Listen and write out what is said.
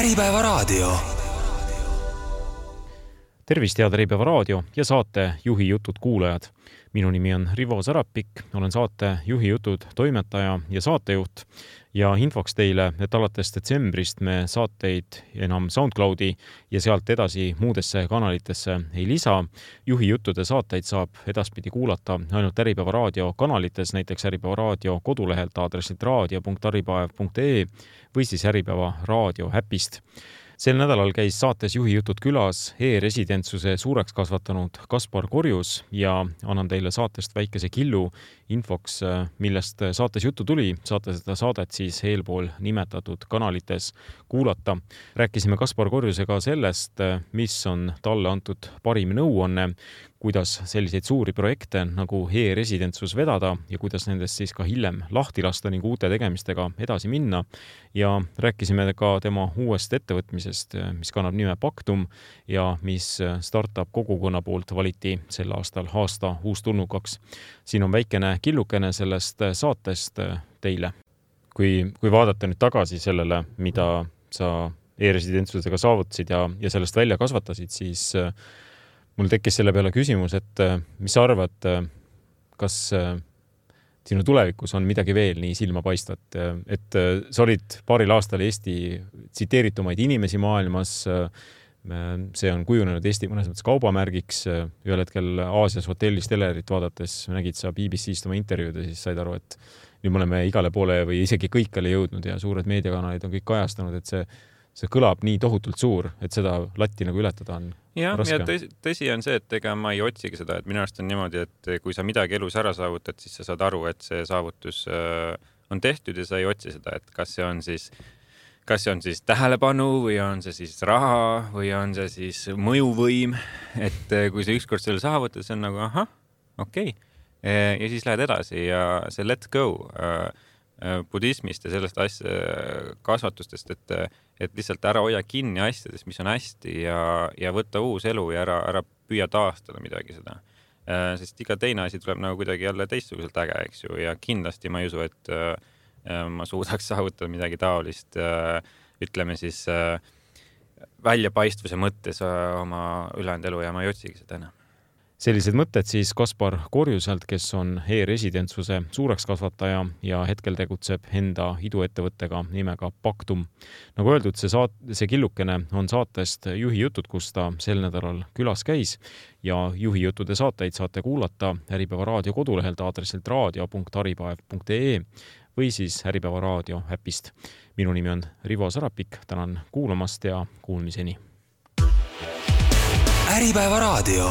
Äripäeva raadio. Tervist, head Äripäeva raadio ja saate Juhi jutud kuulajad. Minu nimi on Rivo Sarapik, olen saate Juhi jutud toimetaja ja saatejuht ja infoks teile, et alates detsembrist me saateid enam SoundCloudi ja sealt edasi muudesse kanalitesse ei lisa. Juhi juttude saateid saab edaspidi kuulata ainult Äripäeva raadio kanalites, näiteks Äripäeva raadio kodulehelt aadressilt raadio.aripäev.ee või siis Äripäeva raadio äpist. Sel nädalal käis saates Juhi jutud külas e-residentsuse suureks kasvatanud Kaspar Korjus ja annan teile saatest väikese killu infoks, millest saates juttu tuli. Saate seda saadet siis eelpool nimetatud kanalites kuulata. Rääkisime Kaspar Korjusega sellest, mis on talle antud parim nõuanne, kuidas selliseid suuri projekte nagu e-residentsus vedada ja kuidas nendest siis ka hiljem lahti lasta ning uute tegemistega edasi minna. Ja rääkisime ka tema uuest ettevõtmisest, mis kannab nime Paktum ja mis startup kogukonna poolt valiti sel aastal aasta uustulnukaks. Siin on väikene killukene sellest saatest teile. Kui vaadata nüüd tagasi sellele, mida sa e-residentsusega saavutasid ja sellest välja kasvatasid, siis mul tekkis selle peale küsimus, et mis sa arvad, kas sinu tulevikus on midagi veel nii silmapaistvat, et sa olid paaril aastal Eesti tsiteeritumaid inimesi maailmas, see on kujunenud Eesti mõnes mõttes kaubamärgiks, ühel hetkel Aasias hotellis telerit vaadates nägid sa BBC-st oma intervjuud ja siis said aru, et nüüd me oleme igale poole või isegi kõikjale jõudnud ja suured meediakanalid on kõik kajastanud, et see kõlab nii tohutult suur, et seda latti nagu ületada on raske. Ja tõsi on see, et ega ma ei otsigi seda, et minu arust on niimoodi, et kui sa midagi elus ära saavutad, siis sa saad aru, et see saavutus on tehtud ja sa ei otsi seda, et kas see on siis tähelepanu või on see siis raha või on see siis mõjuvõim, et kui sa ükskord selle saavutad, see on nagu okei. Ja siis lähed edasi ja see let's go budismist ja sellest kasvatustest, et lihtsalt ära hoia kinni asjadest, mis on hästi ja võtta uus elu ja ära püüa taastada midagi seda. Sest iga teine asi tuleb nagu kuidagi jälle teistsuguselt äge, eks ju, ja kindlasti ma ei usu, et ma suudaks saavutada midagi taolist, ütleme siis väljapaistvuse mõttes oma ülejäänud elu ja ma ei otsigi seda enam. Sellised mõtted siis Kaspar Korjuselt, kes on e-residentsuse suureks kasvataja ja hetkel tegutseb enda iduettevõttega nimega Paktum. Nagu öeldud, see killukene on saatest Juhi jutud, kus ta sel nädalal külas käis ja Juhi jutude saateid saate kuulata Äripäeva raadio kodulehelt aadressilt raadio.aripäev.ee või siis Äripäeva raadio äpist. Minu nimi on Rivo Sarapik, tänan kuulamast ja kuulmiseni. Äripäeva raadio.